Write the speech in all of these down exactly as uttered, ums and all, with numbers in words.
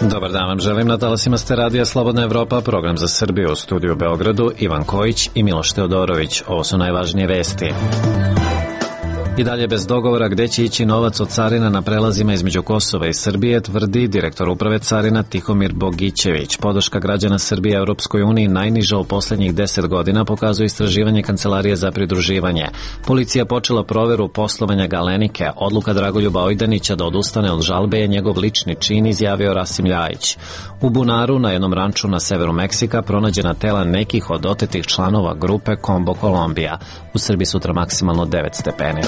Dobar dan vam želim, na talasima ste radija Slobodna Evropa, program za Srbiju, u studiju u Beogradu, Ivan Kojić i Miloš Teodorović. Ovo su najvažnije vesti. I dalje bez dogovora gde će ići novac od carina na prelazima između Kosova i Srbije, tvrdi direktor uprave carina Tihomir Bogićević. Podrška građana Srbije Europskoj uniji najniža u poslednjih deset godina, pokazuje istraživanje Kancelarije za pridruživanje. Policija počela proveru poslovanja Galenike. Odluka Dragoljuba Ojdanića da odustane od žalbe je njegov lični čin, izjavio Rasim Ljajić. U bunaru, na jednom ranču na severu Meksika, pronađena tela nekih od otetih članova grupe Combo Kolumbija. U Srbiji sutra maksimalno devet stepeni.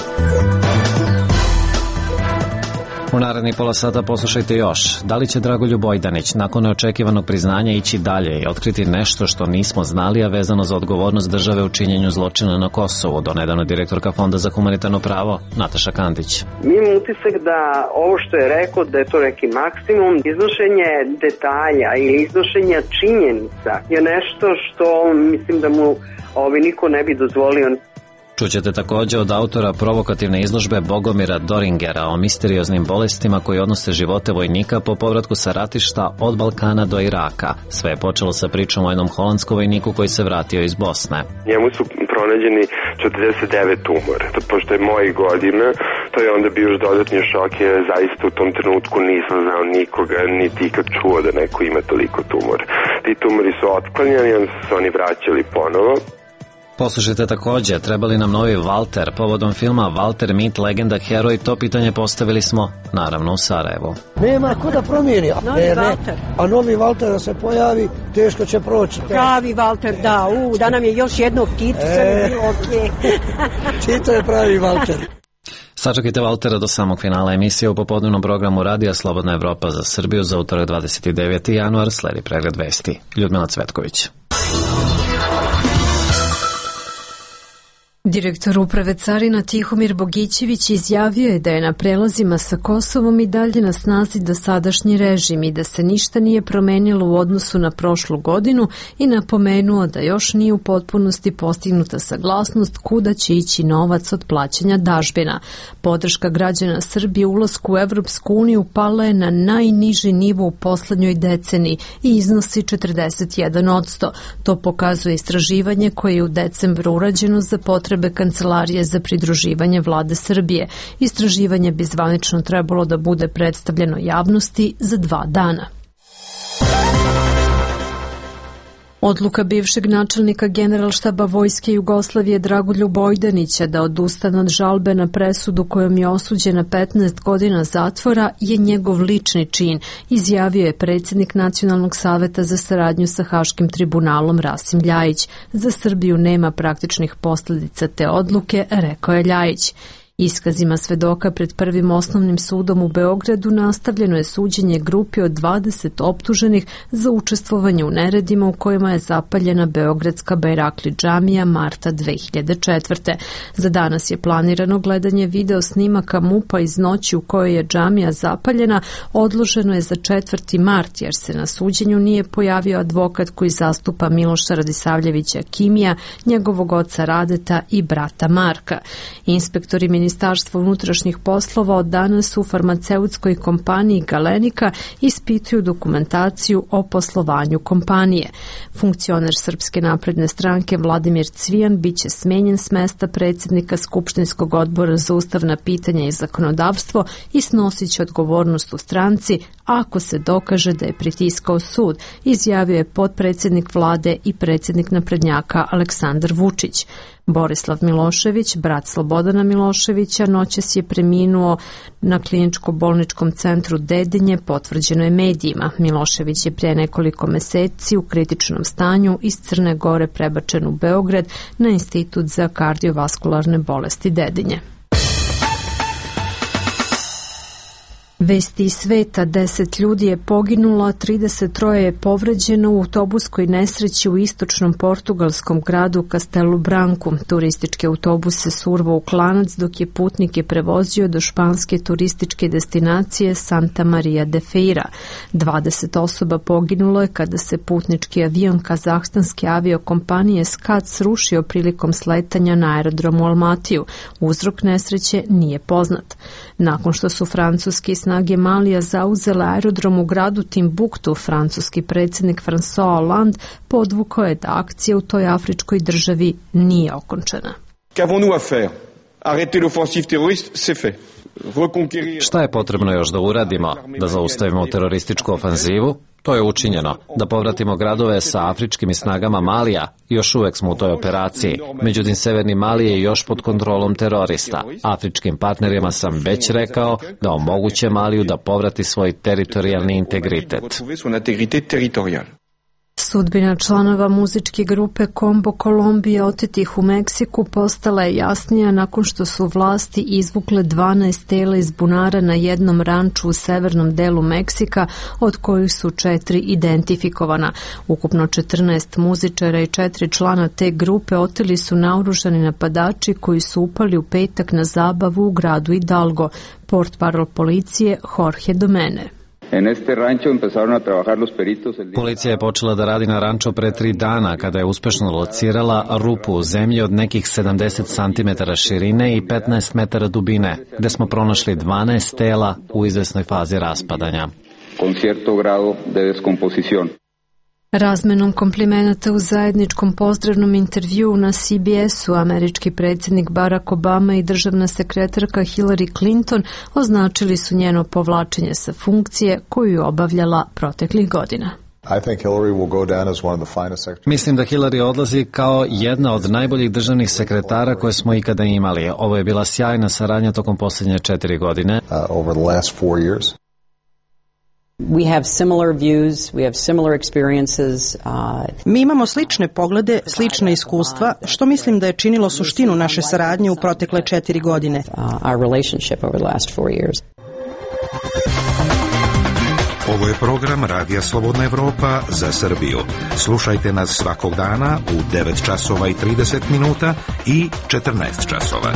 U narednih pola sata poslušajte još. Da li će Dragoljub Ojdanić nakon neočekivanog priznanja ići dalje i otkriti nešto što nismo znali, a vezano za odgovornost države u činjenju zločina na Kosovu? Donedavno direktorka Fonda za humanitarno pravo Nataša Kandić. Mi imamo utisak da ovo što je rekao, da je to neki maksimum. Iznošenje detalja ili iznošenja činjenica je nešto što mislim da mu ovi niko ne bi dozvolio. Čućete također od autora provokativne izložbe Bogomira Doringera o misterioznim bolestima koji odnose živote vojnika po povratku sa ratišta od Balkana do Iraka. Sve je počelo sa pričom o jednom holandskom vojniku koji se vratio iz Bosne. Njemu su pronađeni četrdeset devet tumora. Pošto je mojih godina, to je onda bio još dodatni šok, jer zaista u tom trenutku nisam znao nikoga, niti ikad čuo da neko ima toliko tumora. Ti tumori su otklanjani, onda su se oni vraćali ponovo. Poslušajte također, treba li nam novi Valter? Povodom filma Valter, mit, legenda, heroj, to pitanje postavili smo, naravno, u Sarajevu. Nema ko da promijeni. Novi e, Valter. A novi Valter da se pojavi, teško će proći. Pravi Valter, da, u, da nam je još jednog Tito, e, bilo okej. Tito je pravi Valter. Sačekajte Valtera do samog finala emisije u popodnevnom programu Radija Slobodna Evropa za Srbiju za utorak dvadeset deveti januar, sledi pregled vesti. Ljudmila Cvetković. Direktor uprave carina Tihomir Bogićević izjavio je da je na prelazima sa Kosovom i dalje na snazi dosadašnji režim i da se ništa nije promenilo u odnosu na prošlu godinu i napomenuo da još nije u potpunosti postignuta saglasnost kuda će ići novac od plaćanja dažbina. Podrška građana Srbije ulasku u Evropsku uniju pala je na najniži nivo u poslednjoj deceniji i iznosi četrdeset jedan posto. To pokazuje istraživanje koje je u decembru urađeno za potrebe Kancelarije za pridruživanje vlade Srbije. Istraživanje bi zvanično trebalo da bude predstavljeno javnosti za dva dana. Odluka bivšeg načelnika Generalštaba Vojske Jugoslavije Dragoljuba Ojdanića da odustane od žalbe na presudu kojom je osuđen na petnaest godina zatvora je njegov lični čin, izjavio je predsjednik Nacionalnog saveta za saradnju sa Haškim tribunalom Rasim Ljajić. Za Srbiju nema praktičnih posljedica te odluke, rekao je Ljajić. Iskazima svedoka pred prvim osnovnim sudom u Beogradu nastavljeno je suđenje grupi od dvadeset optuženih za učestvovanje u neredima u kojima je zapaljena beogradska Bajrakli džamija marta dve hiljade četvrte. Za danas je planirano gledanje video snimaka MUP-a iz noći u kojoj je džamija zapaljena, odloženo je za četvrti mart jer se na suđenju nije pojavio advokat koji zastupa Miloša Radisavljevića Kimija, njegovog oca Radeta i brata Marka. Inspektori Ministarstva unutrašnjih poslova od danas u farmaceutskoj kompaniji Galenika ispituju dokumentaciju o poslovanju kompanije. Funkcioner Srpske napredne stranke Vladimir Cvijan biće smenjen s mesta predsjednika Skupštinskog odbora za ustavna pitanja i zakonodavstvo i snosit će odgovornost u stranci ako se dokaže da je pritiskao sud, izjavio je potpredsjednik vlade i predsjednik naprednjaka Aleksandar Vučić. Borislav Milošević, brat Slobodana Miloševića, noćas je preminuo na kliničko-bolničkom centru Dedinje, potvrđeno je medijima. Milošević je prije nekoliko meseci u kritičnom stanju iz Crne Gore prebačen u Beograd na Institut za kardiovaskularne bolesti Dedinje. Vesti iz sveta, deset ljudi je poginulo, a trideset troje je povređeno u autobuskoj nesreći u istočnom portugalskom gradu Castelo Branco. Turistički autobus se survao u klanac dok je putnike prevozio do španske turističke destinacije Santa Maria de Feira. dvadeset osoba poginulo je kada se putnički avion kazahstanske aviokompanije Skat srušio prilikom sletanja na aerodromu Almatiju. Uzrok nesreće nije poznat. Nakon što su francuski snažni snage Malija zauzele aerodrom u gradu Timbuktu, francuski predsjednik François Hollande podvukao je da akcija u toj afričkoj državi nije okončana. Qu'avons-nous à faire? Arrêter l'offensive terroriste, c'est fait. Šta je potrebno još da uradimo? Da zaustavimo terorističku ofanzivu? To je učinjeno. Da povratimo gradove sa afričkim snagama Malija? Još uvek smo u toj operaciji. Međutim, severni Mali je još pod kontrolom terorista. Afričkim partnerima sam već rekao da omoguće Maliju da povrati svoj teritorijalni integritet. Sudbina članova muzičke grupe Combo Colombia otetih u Meksiku postala je jasnija nakon što su vlasti izvukle dvanaest tela iz bunara na jednom ranču u severnom delu Meksika, od kojih su četiri identifikovana. Ukupno četrnaest muzičara i četiri člana te grupe oteli su naoružani napadači koji su upali u petak na zabavu u gradu Hidalgo. Portparol policije Jorge Domene. Policija je počela da radi na ranču pre tri dana kada je uspešno locirala rupu u zemlji od nekih sedamdeset centimetara širine i petnaest metara dubine, gde smo pronašli dvanaest tela u izvesnoj fazi raspadanja. Razmenom komplimenata u zajedničkom pozdravnom intervjuu na C B S-u američki predsjednik Barack Obama i državna sekretarka Hillary Clinton označili su njeno povlačenje sa funkcije koju je obavljala proteklih godina. Mislim da Hillary odlazi kao jedna od najboljih državnih sekretara koje smo ikada imali. Ovo je bila sjajna saradnja tokom posljednje četiri godine. We have similar views, we have similar experiences. Uh, Mi imamo slične poglede, slična iskustva, što mislim da je činilo suštinu naše saradnje u protekle četiri godine. Uh, our relationship over the last four years. Ovo je program Radija Slobodna Evropa za Srbiju. Slušajte nas svakog dana u devet časova i trideset minuta i četrnaest časova.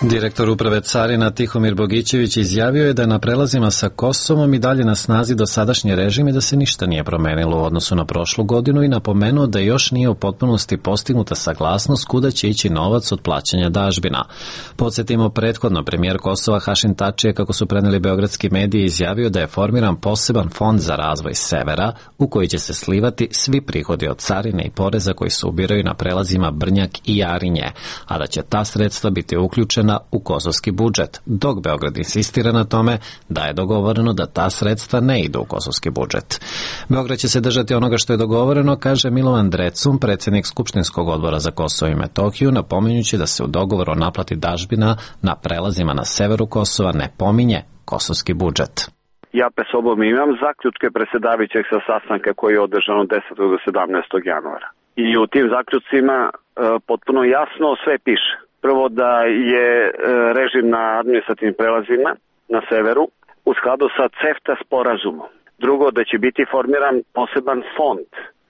Direktor uprave carina Tihomir Bogićević izjavio je da na prelazima sa Kosovom i dalje na snazi dosadašnji režim i da se ništa nije promenilo u odnosu na prošlu godinu i napomenuo da još nije u potpunosti postignuta saglasnost kuda će ići novac od plaćanja dažbina. Podsjetimo, prethodno premijer Kosova Hašim Tači je, kako su preneli beogradski mediji, izjavio da je formiran poseban fond za razvoj severa u koji će se slivati svi prihodi od carine i poreza koji se ubiraju na prelazima Brnjak i Jarinje, a da će ta sredstva biti uključena u kosovski budžet, dok Beograd insistira na tome da je dogovoreno da ta sredstva ne idu u kosovski budžet. Beograd će se držati onoga što je dogovoreno, kaže Milovan Drecun, predsjednik Skupštinskog odbora za Kosovo i Metohiju, napominjući da se u dogovoru o naplati dažbina na prelazima na severu Kosova ne pominje kosovski budžet. Ja pe sobom imam zaključke predsjedavajućeg sa sastanka koji je održan od desetog do sedamnaestog januara. I u tim zaključcima e, potpuno jasno sve piše. Prvo da je režim na administrativnim prelazima na severu u skladu sa CEFTA sporazumom. Drugo, da će biti formiran poseban fond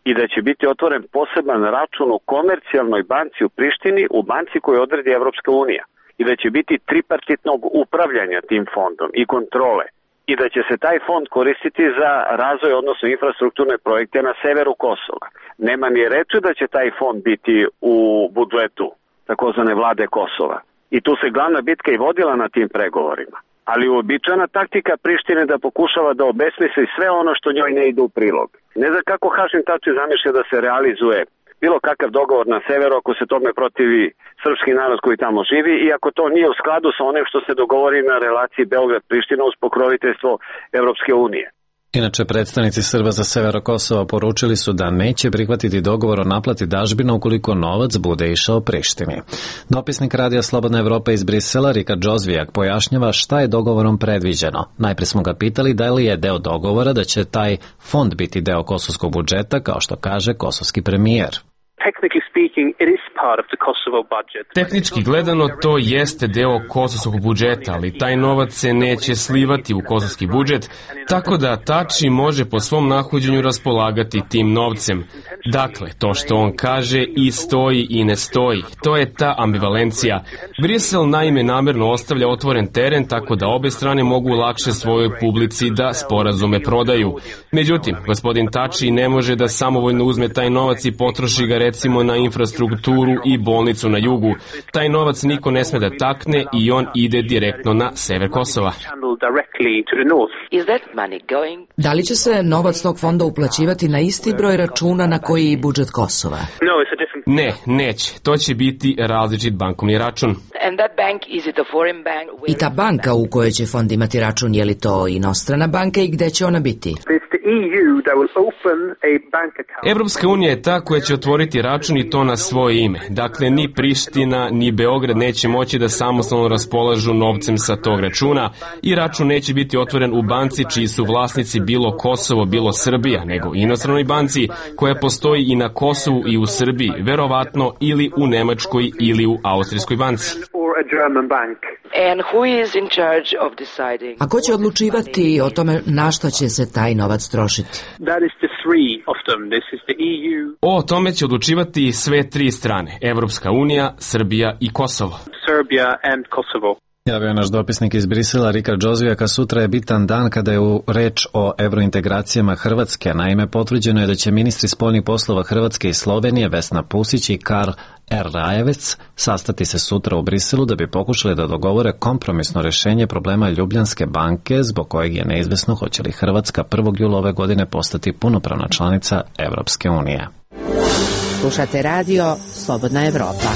i da će biti otvoren poseban račun u komercijalnoj banci u Prištini, u banci koju odredi Evropska unija. I da će biti tripartitnog upravljanja tim fondom i kontrole. I da će se taj fond koristiti za razvoj, odnosno infrastrukturne projekte na severu Kosova. Nema ni reči da će taj fond biti u budžetu takozvane vlade Kosova. I tu se glavna bitka i vodila na tim pregovorima. Ali uobičajena taktika Prištine da pokušava da obesmisli sve ono što njoj ne ide u prilog. Ne znam kako Hašim Tači zamišlja da se realizuje bilo kakav dogovor na severu ako se tome protivi srpski narod koji tamo živi i ako to nije u skladu sa onim što se dogovori na relaciji Beograd-Priština uz pokroviteljstvo Evropske unije. Inače, predstavnici Srba za severo Kosova poručili su da neće prihvatiti dogovor o naplati dažbina ukoliko novac bude išao Prištini. Dopisnik Radija Slobodna Evropa iz Brisela, Rika Džozvijak, pojašnjava šta je dogovorom predviđeno. Najprije smo ga pitali da li je deo dogovora da će taj fond biti deo kosovskog budžeta, kao što kaže kosovski premijer. Tehnički gledano to jeste deo kosovskog budžeta, ali taj novac se neće slivati u kosovski budžet, tako da Tači može po svom nahođenju raspolagati tim novcem. Dakle, to što on kaže i stoji i ne stoji, to je ta ambivalencija. Brisel naime namerno ostavlja otvoren teren tako da obe strane mogu lakše svojoj publici da sporazume prodaju. Međutim, gospodin Tači ne može da samovoljno uzme taj novac i potroši ga recimo na infrastrukturu i bolnicu na jugu. Taj novac niko ne sme da takne i on ide direktno na sever Kosova. Da li će se novac tog fonda uplaćivati na isti broj računa na koji i budžet Kosova? Ne, neće. To će biti različit bankovni račun. I ta banka u kojoj će fond imati račun, je li to inostrana banka i gde će ona biti? Evropska unija je ta koja će otvoriti račun i to na svoje ime. Dakle, ni Priština, ni Beograd neće moći da samostalno raspolažu novcem sa tog računa i račun neće biti otvoren u banci čiji su vlasnici bilo Kosovo, bilo Srbija, nego inostranoj banci koja postoji i na Kosovu i u Srbiji, verovatno ili u Nemačkoj ili u Austrijskoj banci. A ko će odlučivati o tome na što će se taj novac trošiti? O tome će odlučivati sve tri strane, Evropska unija, Srbija i Kosovo. Javio je naš dopisnik iz Brisela, Rika Džozijaka. Sutra je bitan dan kada je u reč o evrointegracijama Hrvatske. Naime, potvrđeno je da će ministri spoljnih poslova Hrvatske i Slovenije, Vesna Pusić i Karl R. Rajevec, sastati se sutra u Briselu da bi pokušali da dogovore kompromisno rešenje problema Ljubljanske banke, zbog kojeg je neizvesno hoće li Hrvatska prvog jula ove godine postati punopravna članica Evropske unije. Slušate radio Slobodna Evropa.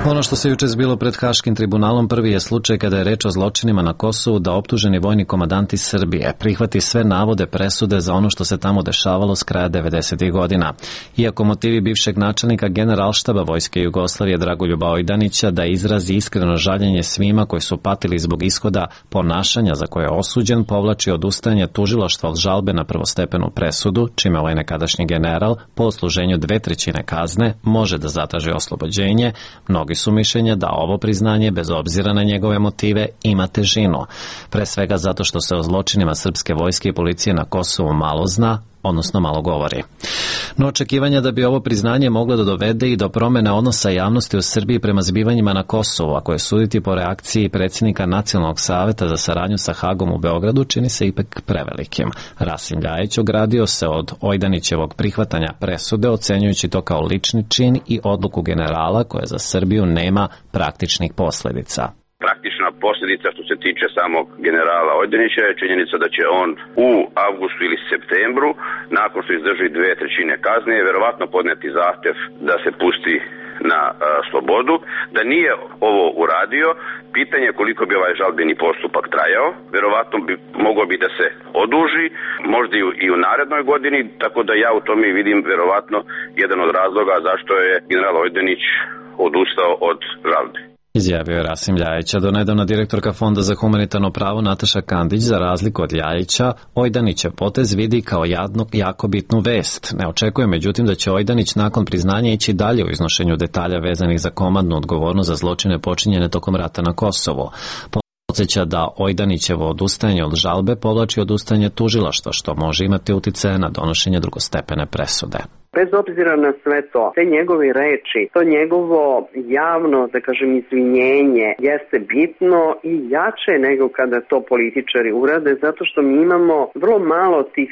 Ono što se juče zbilo pred Haškim tribunalom prvi je slučaj kada je reč o zločinima na Kosovu da optuženi vojni komandant iz Srbije prihvati sve navode presude za ono što se tamo dešavalo s kraja devedesetih godina. Iako motivi bivšeg načelnika Generalštaba Vojske Jugoslavije Dragoljuba Ojdanića da izrazi iskreno žaljenje svima koji su patili zbog ishoda ponašanja za koje je osuđen, povlači odustajanje tužilaštva od žalbe na prvostepenu presudu, čime ovaj nekadašnji general po odsluženju dve trećine kazne može da zatraži oslobođenje. Mnogi su mišljenja da ovo priznanje, bez obzira na njegove motive, ima težinu. Pre svega zato što se o zločinima srpske vojske i policije na Kosovu malo zna, odnosno malo govori. No očekivanja da bi ovo priznanje moglo da dovede i do promene odnosa javnosti u Srbiji prema zbivanjima na Kosovu, ako je suditi po reakciji predsjednika Nacionalnog saveta za saradnju sa Hagom u Beogradu, čini se ipak prevelikim. Rasim Ljajić ogradio se od Ojdanićevog prihvatanja presude, ocenjujući to kao lični čin i odluku generala koja za Srbiju nema praktičnih posledica. Praktična posljedica što se tiče samog generala Ojdanića je činjenica da će on u avgustu ili septembru, nakon što izdrži dve trećine kazne, verovatno podneti zahtev da se pusti na a, slobodu. Da nije ovo uradio, pitanje je koliko bi ovaj žalbeni postupak trajao. Verovatno bi mogao bi da se oduži, možda i u, i u narednoj godini, tako da ja u tome vidim verovatno jedan od razloga zašto je general Ojdanić odustao od žalbe. Izjavio je Rasim Ljajić. Do nedavna direktorka Fonda za humanitarno pravo Nataša Kandić, za razliku od Ljajića, Ojdanićev potez vidi kao jadno, jako bitnu vest. Ne očekuje međutim da će Ojdanić nakon priznanja ići dalje u iznošenju detalja vezanih za komandnu odgovornost za zločine počinjene tokom rata na Kosovu. Podsjeća da Ojdanićevo odustajanje od žalbe povlači odustajanje tužilaštva, što može imati uticaje na donošenje drugostepene presude. Bez obzira na sve to, te njegove reči, to njegovo javno, da kažem, izvinjenje jeste bitno i jače nego kada to političari urade, zato što mi imamo vrlo malo tih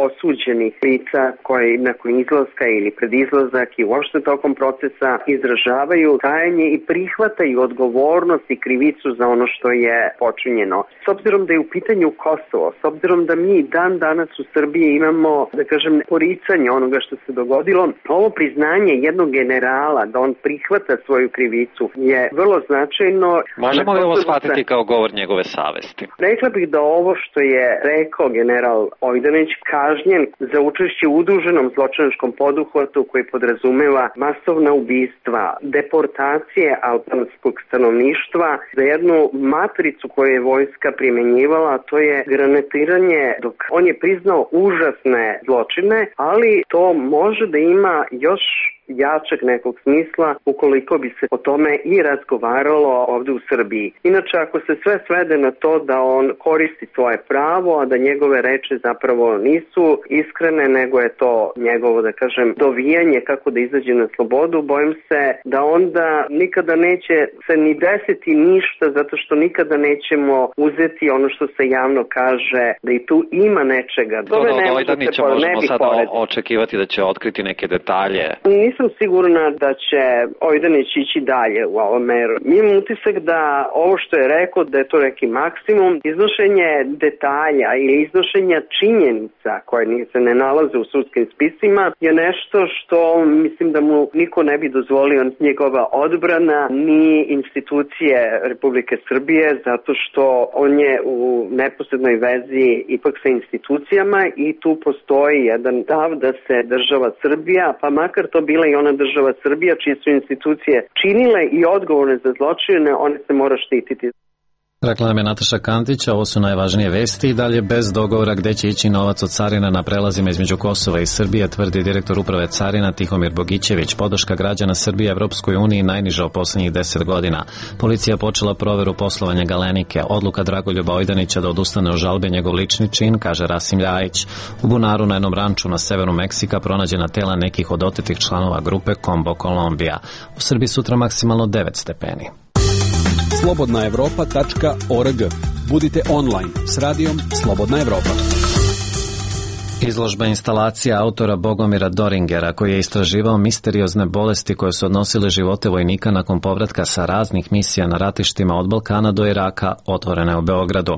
osuđenih lica koji nakon izlaska ili pred izlazak i uopšte tokom procesa izražavaju kajanje i prihvataju odgovornost i krivicu za ono što je počinjeno. S obzirom da je u pitanju Kosovo, s obzirom da mi dan danas u Srbiji imamo, da kažem, poricanje onoga što se dogodilo, godilo. Ovo priznanje jednog generala da on prihvata svoju krivicu je vrlo značajno. Možemo li ovo shvatiti kao govor njegove savesti? Rekla bih da ovo što je rekao general Ojdanić kažnjen za učešće u udruženom zločinačkom poduhvatu koji podrazumeva masovna ubistva, deportacije albanskog stanovništva, za jednu matricu koju je vojska primjenjivala, a to je granatiranje, dok on je priznao užasne zločine, ali to može da ima još jačeg nekog smisla ukoliko bi se o tome i razgovaralo ovde u Srbiji. Inače, ako se sve svede na to da on koristi svoje pravo, a da njegove reči zapravo nisu iskrene, nego je to njegovo, da kažem, dovijanje kako da izađe na slobodu, bojim se da onda nikada neće se ni desiti ništa, zato što nikada nećemo uzeti ono što se javno kaže, da i tu ima nečega. To da od Ojdanića možemo sada očekivati da će otkriti neke detalje. Nisam sigurna da će Ojdanić ići dalje u ovom meru. Mi imam utisak da ovo što je rekao, da je to neki maksimum, iznošenje detalja ili iznošenja činjenica koje se ne nalaze u sudskim spisima je nešto što mislim da mu niko ne bi dozvolio, njegova odbrana ni institucije Republike Srbije, zato što on je u neposrednoj vezi ipak sa institucijama i tu postoji jedan stav da se država Srbija, pa makar to bila i ona država Srbija čije su institucije činile i odgovorne za zločine, one se mora štititi. Rekla nam je Nataša Kantić, ovo su najvažnije vesti i dalje bez dogovora gde će ići novac od carina na prelazima između Kosova i Srbije, tvrdi direktor uprave carina Tihomir Bogićević. Podrška građana Srbije Evropskoj uniji najniža u poslednjih deset godina. Policija počela proveru poslovanja Galenike. Odluka Dragoljuba Ojdanića da odustane od žalbe njegov lični čin, kaže Rasim Ljajić. U bunaru na jednom ranču na severu Meksika pronađena tela nekih od otetih članova grupe Combo Kolumbija. U Srbiji sutra maksimalno devet stepeni. slobodna evropa tačka org. Budite online s radijom Slobodna Evropa. Izložba instalacija autora Bogomira Doringera, koji je istraživao misteriozne bolesti koje su odnosile živote vojnika nakon povratka sa raznih misija na ratištima od Balkana do Iraka, otvorena je u Beogradu.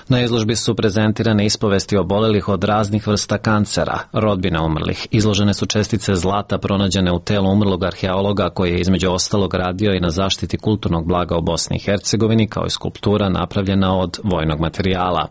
Na izložbi su prezentirane ispovesti obolelih od raznih vrsta kancera, rodbine umrlih. Izložene su čestice zlata pronađene u telu umrlog arheologa koji je između ostalog radio i na zaštiti kulturnog blaga u Bosni i Hercegovini, kao i skulptura napravljena od vojnog materijala.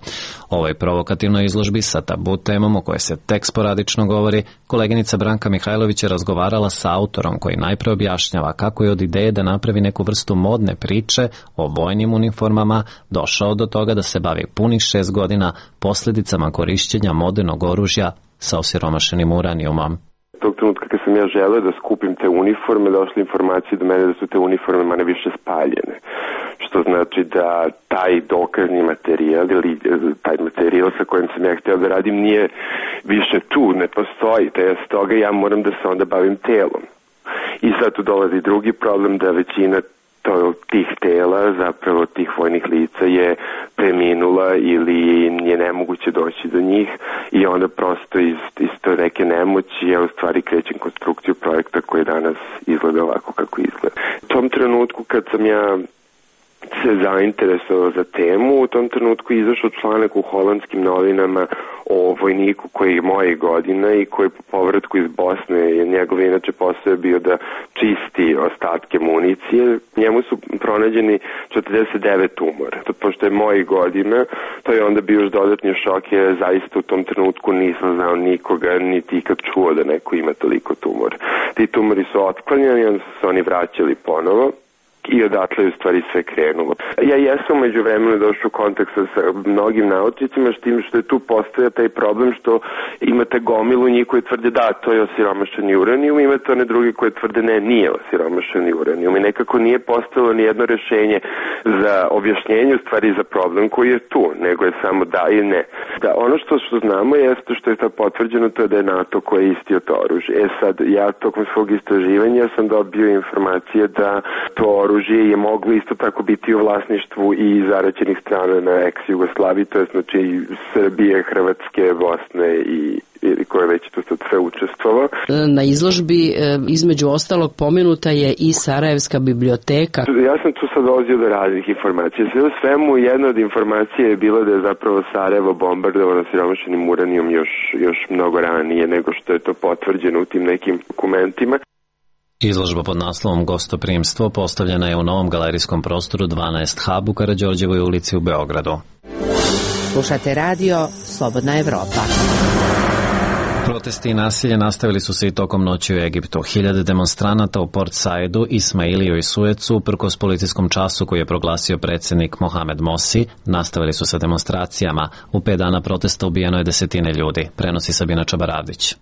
O ovoj provokativnoj izložbi sa tabu temom o kojoj se tek sporadično govori, koleginica Branka Mihajlović je razgovarala sa autorom koji najpre objašnjava kako je od ideje da napravi neku vrstu modne priče o vojnim uniformama došao do toga da se bavi punih šest godina posljedicama korišćenja modernog oružja sa osiromašenim uranijumom. Tog trenutka kad sam ja želeo da skupim te uniforme, došle informacije do mene da su te uniforme manje više spaljene. Što znači da taj dokazni materijal ili taj materijal sa kojim sam ja htio da radim nije više tu, ne postoji. Te s toga ja moram da se onda bavim telom. I sad tu dolazi drugi problem da većina to, tih tela, zapravo tih vojnih lica je preminula ili je nemoguće doći do njih i onda prosto iz, iz to neke nemoći ja u stvari krećem konstrukciju projekta koji danas izgleda ovako kako izgleda. U tom trenutku kad sam ja se zainteresovao za temu, u tom trenutku izašao članak u holandskim novinama o vojniku koji je moje godina i koji po povratku iz Bosne, njegov inače posao je bio da čisti ostatke municije. Njemu su pronađeni četrdeset devet tumora. Pošto je moje godina, to je onda bio još dodatni šok, jer zaista u tom trenutku nisam znao nikoga, niti ikad čuo da neko ima toliko tumora. Ti tumori su otklanjani, onda su se oni vraćali ponovo. I odatle je u stvari sve krenulo. Ja jesam među vremenu došao u kontakt sa mnogim naučnicima, s tim što je tu postoja taj problem što imate gomilu njih koji tvrde da, to je osiromašeni uranijum, imate one drugi koji tvrde ne, nije osiromašeni uranijum i nekako nije postojalo ni jedno rešenje za objašnjenje, u stvari za problem koji je tu, nego je samo da i ne. Da, ono što, što znamo jeste što je sad potvrđeno, to je da je NATO koji je istio to oružje. E sad, ja tokom svog istraživanja sam dobio informacije da to oružje je moglo isto tako biti u vlasništvu i zaraćenih strana na ex-Jugoslaviji, to je znači Srbije, Hrvatske, Bosne i ili koje već tu sad sve učestvovao. Na izložbi između ostalog pomenuta je i Sarajevska biblioteka. Ja sam tu sad dolazio do raznih informacija. Sve u svemu jedna od informacija je bila da je zapravo Sarajevo bombardovano siromašenim uranijom još, još mnogo ranije nego što je to potvrđeno u tim nekim dokumentima. Izložba pod naslovom Gostoprimstvo postavljena je u novom galerijskom prostoru dvanaest Hub u Karađorđevoj ulici u Beogradu. Slušate radio Slobodna Evropa. Protesti i nasilje nastavili su se i tokom noći u Egiptu. Hiljade demonstranata u Port Saidu, Ismailiju i Suecu, uprkos policijskom času koji je proglasio predsjednik Mohamed Morsi, nastavili su sa demonstracijama. U pet dana protesta ubijeno je desetine ljudi, prenosi Sabina Čabaravdić.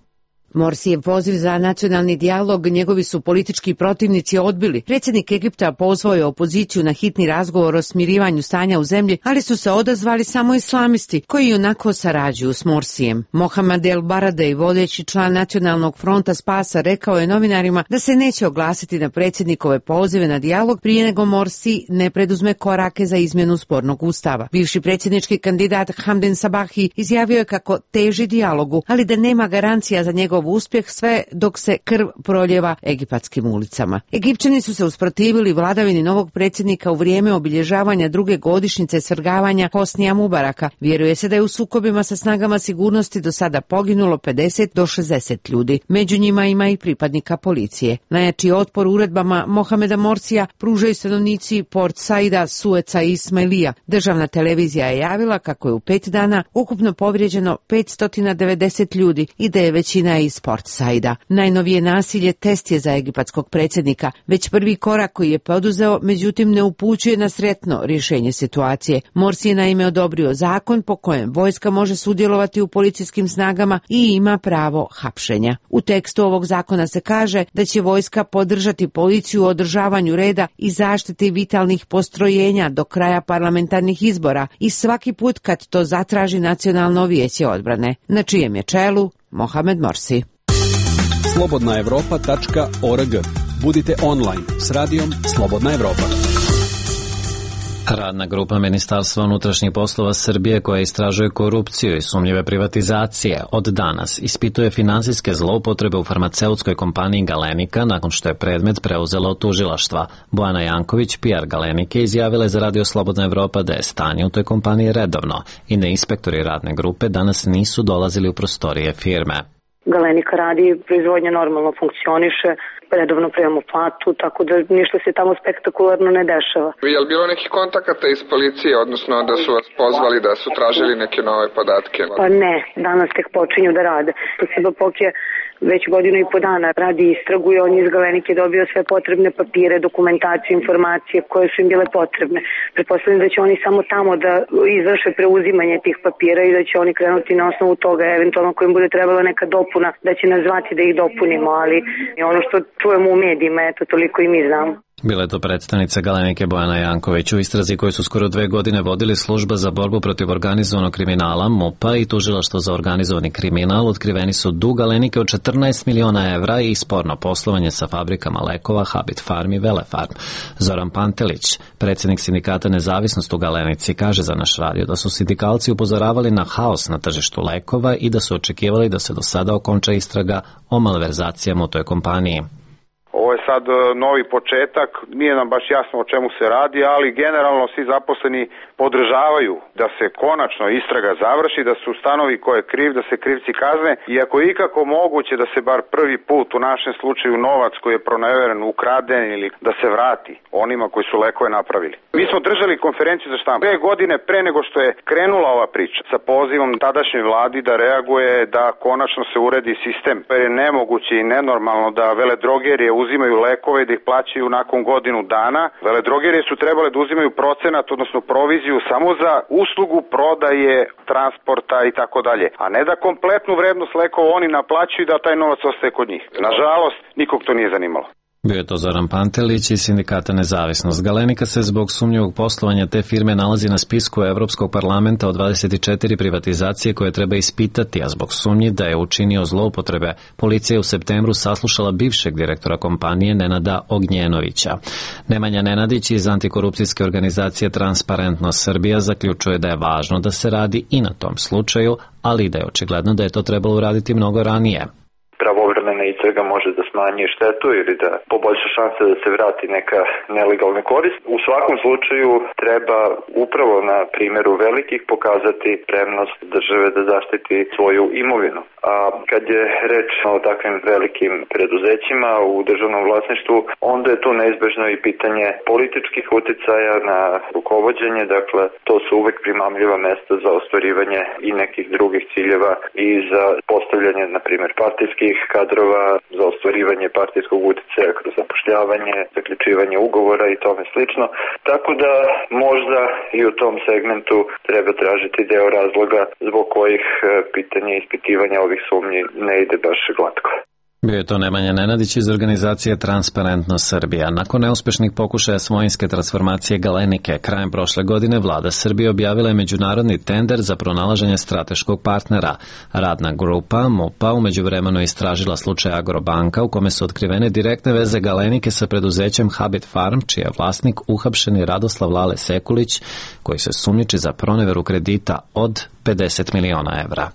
Morsijev poziv za nacionalni dijalog njegovi su politički protivnici odbili. Predsjednik Egipta pozvao je opoziciju na hitni razgovor o smirivanju stanja u zemlji, ali su se odazvali samo islamisti koji onako sarađuju s Morsijem. Mohamed El Baradei, vodeći član Nacionalnog fronta spasa, rekao je novinarima da se neće oglasiti na predsjednikove pozive na dijalog prije nego Morsi ne preduzme korake za izmjenu spornog ustava. Bivši predsjednički kandidat Hamden Sabahi izjavio je kako teži dijalogu, ali da nema garancija za njegov uspjeh sve dok se krv proljeva egipatskim ulicama. Egipćani su se usprotivili vladavini novog predsjednika u vrijeme obilježavanja druge godišnjice svrgavanja Hosnija Mubaraka. Vjeruje se da je u sukobima sa snagama sigurnosti do sada poginulo pedeset do šezdeset ljudi. Među njima ima i pripadnika policije. Najjači otpor uredbama Mohameda Morsija pružaju stanovnici Port Saida, Sueca i Ismailija. Državna televizija je javila kako je u pet dana ukupno povrijeđeno petsto devedeset ljudi i da je većina iz Port Saida. Najnovije nasilje test je za egipatskog predsjednika. Već prvi korak koji je poduzeo, međutim, ne upućuje na sretno rješenje situacije. Morsi je naime odobrio zakon po kojem vojska može sudjelovati u policijskim snagama i ima pravo hapšenja. U tekstu ovog zakona se kaže da će vojska podržati policiju u održavanju reda i zaštiti vitalnih postrojenja do kraja parlamentarnih izbora i svaki put kad to zatraži Nacionalno vijeće odbrane, na čijem je čelu Mohamed Morsi. slobodna evropa tačka org. Budite online s radijom Slobodna Evropa. Radna grupa Ministarstva unutrašnjih poslova Srbije koja istražuje korupciju i sumnjive privatizacije od danas ispituje finansijske zloupotrebe u farmaceutskoj kompaniji Galenika nakon što je predmet preuzela od tužilaštva. Bojana Janković, P R Galenike, izjavila je za Radio Slobodna Evropa da je stanje u toj kompaniji redovno i da inspektori radne grupe danas nisu dolazili u prostorije firme. Galenika radi, proizvodnja normalno funkcioniše, redovno primamo platu, tako da ništa se tamo spektakularno ne dešava. Je li bilo nekih kontakata iz policije, odnosno da su vas pozvali da su tražili neke nove podatke? Pa ne, danas tek počinju da rade. Siba Pok je već godinu i po dana radi istragu i on je iz Galenike dobio sve potrebne papire, dokumentaciju, informacije koje su im bile potrebne. Pretpostavljam da će oni samo tamo da izvrše preuzimanje tih papira i da će oni krenuti na osnovu toga, eventualno kojim bude trebala neka dopuna, da će nas zvati da ih dopunimo, ali ono što čujemo u medijima, eto, toliko i mi znamo. Bila je to predstavnica Galenike Bojana Janković. U istrazi koju su skoro dve godine vodili Služba za borbu protiv organizovanog kriminala, MUP-a i Tužilaštvo za organizovani kriminal, otkriveni su dug Galenike od četrnaest miliona evra i sporno poslovanje sa fabrikama lekova Habit Farm i Velefarm. Zoran Pantelić, predsjednik sindikata Nezavisnost u Galenici, kaže za naš radio da su sindikalci upozoravali na haos na tržištu lekova i da su očekivali da se do sada okonča istraga o malverzacijama u toj kompaniji. Ovo je sad novi početak, nije nam baš jasno o čemu se radi, ali generalno svi zaposleni podržavaju da se konačno istraga završi, da se ustanovi ko je kriv, da se krivci kazne i ako je ikako moguće da se bar prvi put u našem slučaju novac koji je proneveren, ukraden ili da se vrati onima koji su lekove napravili. Mi smo držali konferenciju za štampu dve godine pre nego što je krenula ova priča sa pozivom tadašnjoj vladi da reaguje, da konačno se uredi sistem. Jer je nemoguće i nenormalno da veledrogerije uzimaju lekove i da ih plaćaju nakon godinu dana. Veledrogerije su trebale da uzimaju procenat, odnosno proviziju samo za uslugu prodaje, transporta i tako dalje, a ne da kompletnu vrednost lekova oni naplaćuju i da taj novac ostaje kod njih. Nažalost, nikog to nije zanimalo. Bio je to Zoran Pantelić iz sindikata Nezavisnost. Galenika se zbog sumnjivog poslovanja te firme nalazi na spisku Evropskog parlamenta od dvadeset četiri privatizacije koje treba ispitati, a zbog sumnji da je učinio zloupotrebe, policija je u septembru saslušala bivšeg direktora kompanije Nenada Ognjenovića. Nemanja Nenadić iz antikorupcijske organizacije Transparentnost Srbija zaključuje da je važno da se radi i na tom slučaju, ali da je očigledno da je to trebalo uraditi mnogo ranije. Pravovremena istraga može da smanji štetu ili da poboljša šanse da se vrati neka nelegalna korist. U svakom slučaju treba upravo na primjeru velikih pokazati spremnost države da zaštiti svoju imovinu. A kad je reč o takvim velikim preduzećima u državnom vlasništvu, onda je tu neizbežno i pitanje političkih uticaja na rukovođenje, dakle to su uvek primamljiva mesta za ostvarivanje i nekih drugih ciljeva i za postavljanje, na primjer, partijskih kadrova za ostvarivanje partijskog uticaja kroz zapošljavanje, zaključivanje ugovora i tome slično. Tako da možda i u tom segmentu treba tražiti deo razloga zbog kojih pitanje ispitivanja ovih sumnji ne ide baš glatko. Bio je to Nemanja Nenadić iz organizacije Transparentnost Srbija. Nakon neuspešnih pokušaja svojinske transformacije Galenike, krajem prošle godine vlada Srbije objavila je međunarodni tender za pronalaženje strateškog partnera. Radna grupa M U P-a u međuvremenu istražila slučaj Agrobanka u kome su otkrivene direktne veze Galenike sa preduzećem Habit Farm, čiji je vlasnik uhapšeni Radoslav Lale Sekulić, koji se sumnjiči za proneveru kredita od pedeset miliona evra.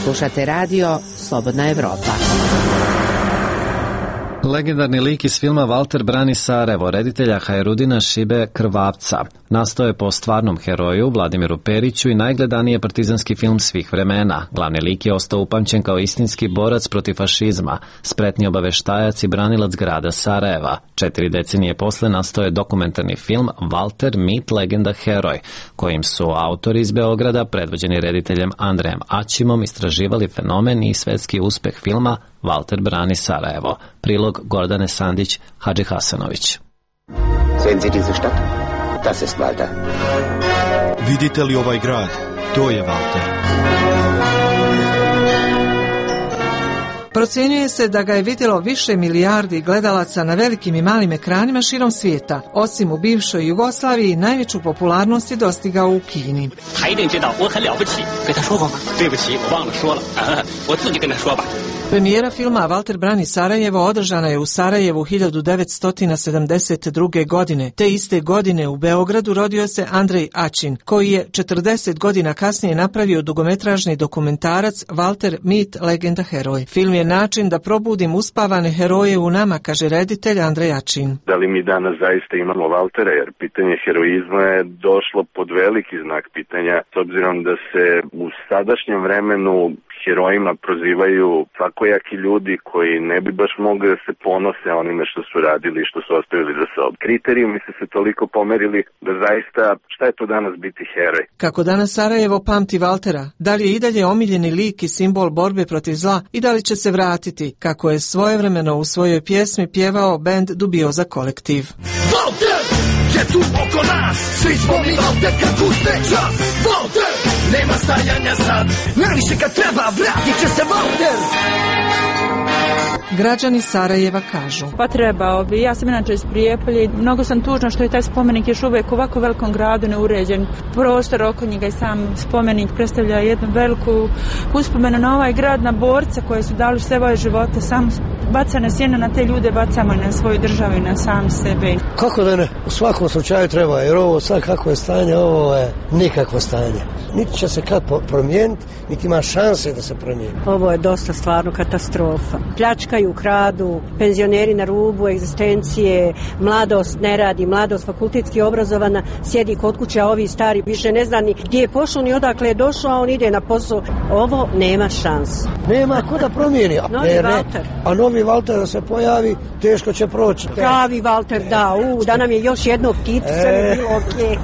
Slušate radio Slobodna Evropa. Legendarni lik iz filma Valter brani Sarajevo, reditelja Hajrudina Šibe Krvavca. Nastao je po stvarnom heroju Vladimiru Periću i najgledaniji je partizanski film svih vremena. Glavni lik je ostao upamćen kao istinski borac protiv fašizma, spretni obaveštajac i branilac grada Sarajeva. Četiri decenije posle nastao je dokumentarni film Valter, mit, legenda, heroj, kojim su autori iz Beograda, predvođeni rediteljem Andrejem Aćimom, istraživali fenomen i svetski uspeh filma Valter brani Sarajevo. Prilog Gordane Sandić Hadži Hasanović. Sehen Sie diese Stadt? Das ist Walter. Vidite li ovaj grad? To je Valter. Procenjuje se da ga je vidjelo više milijardi gledalaca na velikim i malim ekranima širom svijeta. Osim u bivšoj Jugoslaviji, najveću popularnost je dostigao u Kini. Premijera filma Valter brani Sarajevo održana je u Sarajevu hiljadu devetsto sedamdeset druge. godine. Te iste godine u Beogradu rodio se Andrej Aćin, koji je četrdeset godina kasnije napravio dugometražni dokumentarac Valter, mit, legenda, heroj. Film je način da probudim uspavane heroje u nama, kaže reditelj Andrej Aćin. Da li mi danas zaista imamo Valtera, jer pitanje heroizma je došlo pod veliki znak pitanja, s obzirom da se u sadašnjem vremenu herojima prozivaju svakojaki ljudi koji ne bi baš mogli da se ponose onime što su radili i što su ostavili za sobom. Kriterijumi su se toliko pomerili da zaista šta je to danas biti heroj? Kako danas Sarajevo pamti Valtera? Da li je i dalje omiljeni lik i simbol borbe protiv zla i da li će se vratiti, kako je svojevremeno u svojoj pjesmi pjevao bend Dubioza kolektiv? Valter je tu oko nas, svi smo mi Valter kad puste čas. Valter, nema stajanja sad, najviše kad treba, vratit će se Valter. Građani Sarajeva kažu: Pa trebao bi, ja sam inače iz Prijepolja, mnogo sam tužna što je taj spomenik još uvijek u ovako velikom gradu neuređen. Prostor oko njega i sam spomenik predstavlja jednu veliku uspomenu na ovaj grad, na borce koje su dali sve svoje živote, samo bacane sjene na te ljude, bacamo i na svoju državu i na sam sebe. Kako da ne? U svakom slučaju treba, jer ovo sad kako je stanje, ovo je nikakvo stanje. Niti će se kad promijeniti, niti ima šanse da se promijeni. Ovo je dosta stvarno katastrofa. Pljačkaju, kradu, penzioneri na rubu egzistencije, mladost ne radi, mladost fakultetski obrazovana, sjedi kod kuće, a ovi stari više ne zna ni gdje je pošao ni odakle je došao, a on ide na posao. Ovo nema šanse. Nema ko da promijeni. Novi ne, Valter. Ne. A novi Valter da se pojavi, teško će proći. Pravi Valter, da, u, da nam je još jedno ptice, e, bilo okej.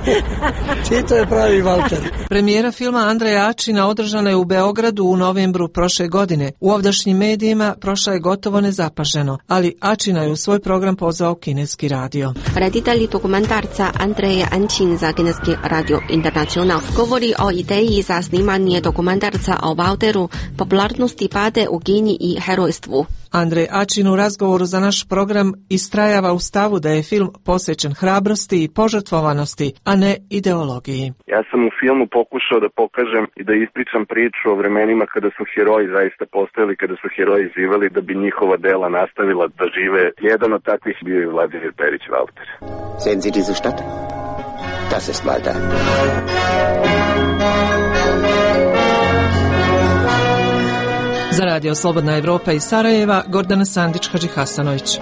Čito je pravi Valter. Premijera filma Andreja Aćina održana je u Beogradu u novembru prošle godine. U ovdašnjim medijima prošla je gotovo nezapaženo, ali Aćina je u svoj program pozvao kineski radio. Reditelj dokumentarca Andrej Aćin za kineski radio Internacional govori o ideji za snimanje dokumentarca o Valteru, popularnosti pade u Kini i herojstvu. Andrej Aćin u razgovoru za naš program istrajava u stavu da je film posvećen hrabrosti i požrtvovanosti, a ne ideologiji. Ja sam u filmu pokušao da pokažem i da ispričam priču o vremenima kada su heroji zaista postojali, kada su heroji živeli, da bi njihova dela nastavila da žive. Jedan od takvih bio je Vladimir Perić Valter. Sehen Sie diese Stadt? Das ist Walter. Za radio Slobodna Evropa iz Sarajeva, Gordana Sandić Hadži Hasanović.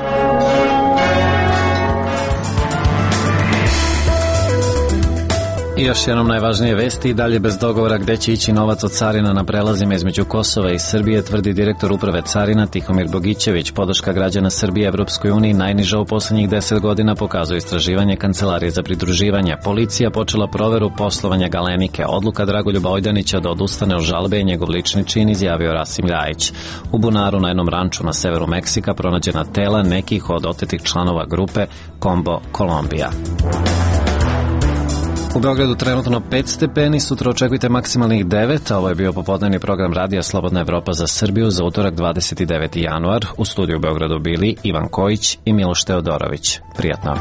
I još jednom najvažnije vesti, i dalje bez dogovora gde će ići novac od carina na prelazima između Kosova i Srbije, tvrdi direktor uprave carina Tihomir Bogićević. Podrška građana Srbije Evropskoj uniji najniža u poslednjih deset godina, pokazuje istraživanje Kancelarije za pridruživanje. Policija počela proveru poslovanja Galenike. Odluka Dragoljuba Ojdanića da odustane od žalbe je njegov lični čin, izjavio Rasim Ljajić. U bunaru na jednom ranču na severu Meksika pronađena tela nekih od otetih članova grupe Combo Kolumbija. U Beogradu trenutno pet stepeni, sutra očekujte maksimalnih devet, a ovo je bio popodnevni program Radija Slobodna Evropa za Srbiju za utorak dvadeset deveti januar. U studiju u Beogradu bili Ivan Kojić i Miloš Teodorović. Prijatno.